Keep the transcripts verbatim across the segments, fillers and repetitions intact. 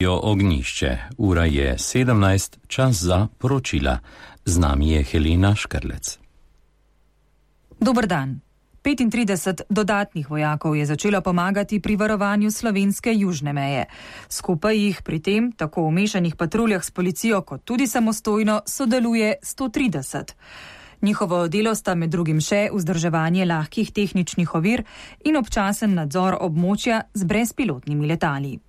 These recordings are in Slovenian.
Ognjišče. Ura je sedemnajst, čas za poročila. Z nami je Helena Škrlec. Dober dan. petintrideset dodatnih vojakov je začelo pomagati pri varovanju slovenske južne meje. Skupaj jih pri tem, tako v mešanih patruljah s policijo, kot tudi samostojno, sodeluje sto trideset. Njihovo delo sta med drugim še vzdrževanje lahkih tehničnih ovir in občasen nadzor območja z brezpilotnimi letali.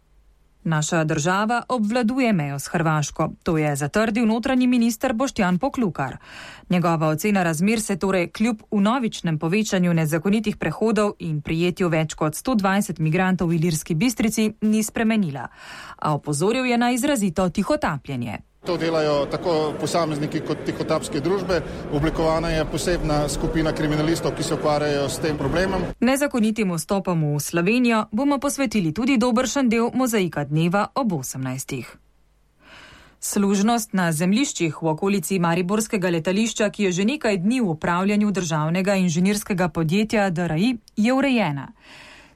Naša država obvladuje mejo s Hrvaško, to je zatrdil notranji minister Boštjan Poklukar. Njegova ocena razmer se torej kljub vnovičnem povečanju nezakonitih prehodov in prijetju več kot sto dvajset migrantov v Ilirski Bistrici ni spremenila, a opozoril je na izrazito tihotapljenje. To delajo tako posamezniki kot tihotapske družbe. Oblikovana je posebna skupina kriminalistov, ki se ukvarjajo s tem problemom. Nezakonitim vstopom v Slovenijo bomo posvetili tudi dobršen del mozaika dneva ob osemnajstih. Služnost na zemljiščih v okolici mariborskega letališča, ki je že nekaj dni v upravljanju državnega inženirskega podjetja D R I, je urejena.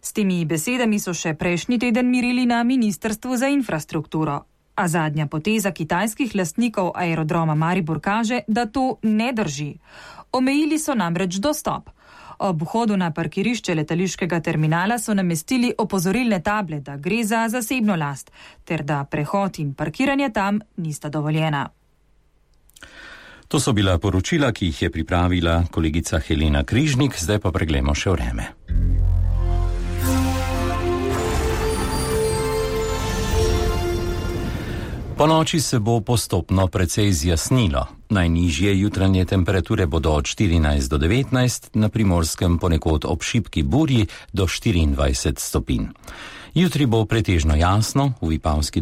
S temi besedami so še prejšnji teden mirili na Ministrstvu za infrastrukturo. A zadnja poteza kitajskih lastnikov aerodroma Maribor kaže, da to ne drži. Omejili so namreč dostop. Ob vhodu na parkirišče letališkega terminala so namestili opozorilne table, da gre za zasebno last, ter da prehod in parkiranje tam nista dovoljena. To so bila poročila, ki jih je pripravila kolegica Helena Križnik, zdaj pa preglejmo še vreme. Po noči se bo postopno precej zjasnilo. Najnižje jutranje temperature bodo od štirinajst do devetnajst, na Primorskem ponekod ob šibki burji do štiriindvajset stopinj. Jutri bo pretežno jasno, v Vipavski